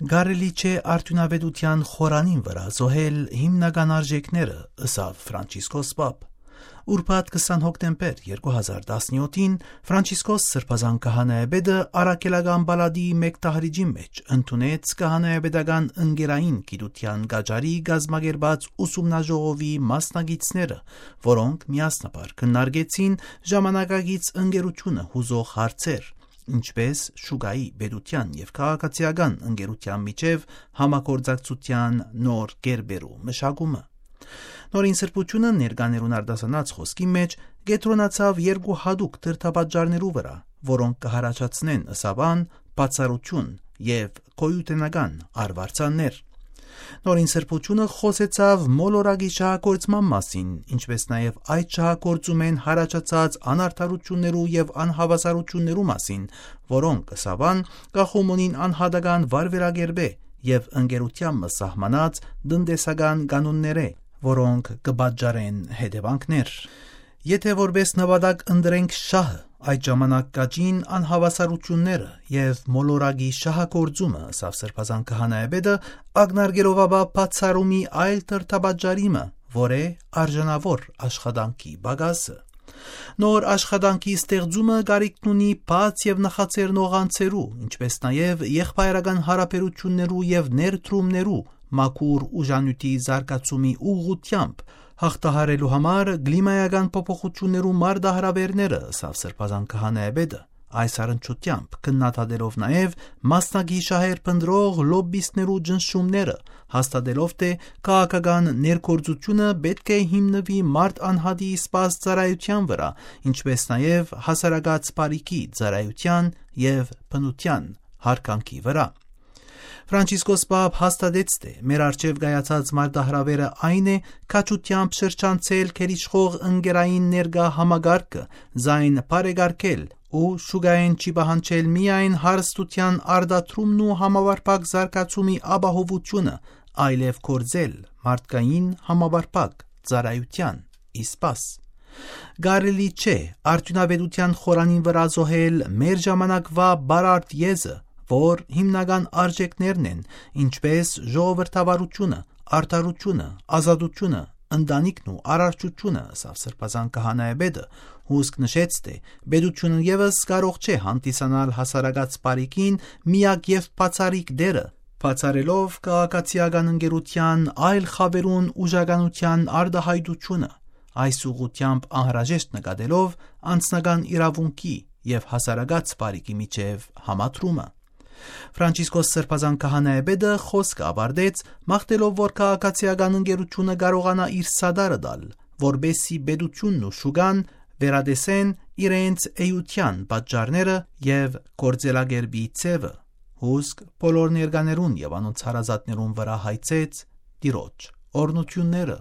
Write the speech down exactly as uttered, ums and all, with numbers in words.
Կարելի չէ արդիւնաւէտութեան խորանին վրայ զոհել հիմնական արժեքները, ըսաւ Ֆրանցիսկոս Պապ։ Ուրբաթ քսան հոկտեմբեր երկու հազար տասնեօթին Ֆրանցիսկոս Սրբազան քահանայապետը առաքելական պալատի մէկ դահլիճի մէջ ընդունեց քահանայապետական ընկերային գիտութեան կաճառի կազմակերպած ուսումնաժողովի մասնակիցները, որոնք միասնաբար քննարկեցին ժամանակակից ընկերությունը յուզող հարցեր, ինչպէս շուկայի, պետութեան եւ քաղաքացիական ընկերութեան միջեւ համագործակցութեան նոր կերպերու մշակումը։ Նորին սրբութիւնը ներկաներուն արտասանած խօսքի մէջ կեդրոնացաւ երկու յատուկ դրդապատճառներու վրայ, որոնք կը յառաջացնեն, ըսաւ ան, բացառութիւն եւ գոյութենական արուարձաններ։ Նորին սրբութիւնը խօսեցաւ մոլորակի շահագործման մասին, ինչպէս նաեւ այդ շահագործումէն յառաջացած անարդարութիւններու եւ անհաւասարութիւններու մասին, որոնք, ըսաւ ան, կախում ունին անհատական վարվերակերպէ եւ ընկերութեան մը սահմանած տնտեսական կանոններէ, որոնք կը պատճառեն հետեւանքներ։ Եթէ որպէս նպատակ ընտրենք շահը, այդ ժամանակ կաճին անհաւասարութիւնները եւ մոլորակի շահագործումը, ըսաւ Սրբազան քահանայապետը, ակնարկելով ապա բացառումի այլ դրդապատճառի մը, որ է արժանաւոր աշխատանքի պակասը։ Նոր աշխատանքի ստեղծումը կարիքն ունի բաց եւ նախաձեռնող անձերու, ինչպէս նաեւ եղբայրական յարաբերութիւններու եւ ներդրումներու մաքուր ուժանիւթի զարգացումի ուղղութեամբ յաղթահարելու համար կլիմայական փոփոխութիւններու մարտահրաւէրները, ըսաւ Սրբազան քահանայապետը, այս առնչութեամբ քննադատելով նաեւ մասնակի շահեր փնտռող լոբբիստներու ճնշումները, հաստատելով թէ քաղաքական ներգործությունը պէտք է հիմնուի մարդ անհատի սպաս ծառայութեան վրայ, ինչպէս նաեւ հասարակաց բարիքի ծառայութեան եւ բնութեան յարգանքի վրայ։ Ֆրանցիսկոս Պապ հաստատեց թէ մեր առջեւ կայացած մարտահրաւէրը այն է՝ քաջութեամբ շրջանցել գերիշխող ընկերային ներկայ համակարգը, զայն բարեկարգել ու շուկայէն չի պահանջել միայն հարստութեան արտադրումն ու համապարփակ զարգացումի ապահովութիւնը, այլեւ գործել մարդկային համապարփակ ծառայութեան ի սպաս։ Կարելի չէ արդիւնաւէտութեան խորանին վրայ զոհել մեր ժամանակվայ բարարդ եզը, որ հիմնական արժեքներն են, ինչպէս ժողովրդավարութիւնը, արդարութիւնը, ազատութիւնը, ընտանիքն ու արարչութիւնը, ըսաւ Սրբազան քահանայապետը, հուսկ նշեց թէ պետութիւնը եւս կարող չէ հանդիսանալ հասարակաց բարիքին միակ եւ բացառիկ դերը, բացառելով քաղաքացիական ընկերութեան այլ խաւերուն ուժականութեան արտայայտութիւնը, այս ուղղութեամբ անհրաժեշտ նկատելով անձնական իրաւունքի եւ հասարակաց բարիքի միջեւ համադրումը։ Ֆրանցիսկոս Սրբազան քահանայապետը խօսքը աւարտեց՝ մաղթելով որ քաղաքացիական ընկերութիւնը կարողանայ իր սատարը տալ, որպէս զի պետութիւնն ու շուկան վերատեսեն իրենց էութեան պատճառները եւ գործելակերպի ձեւը, հուսկ բոլոր ներկաներուն եւ անոնց հարազատներուն վրայ հայցեց Տիրոջ օրհնութիւնները,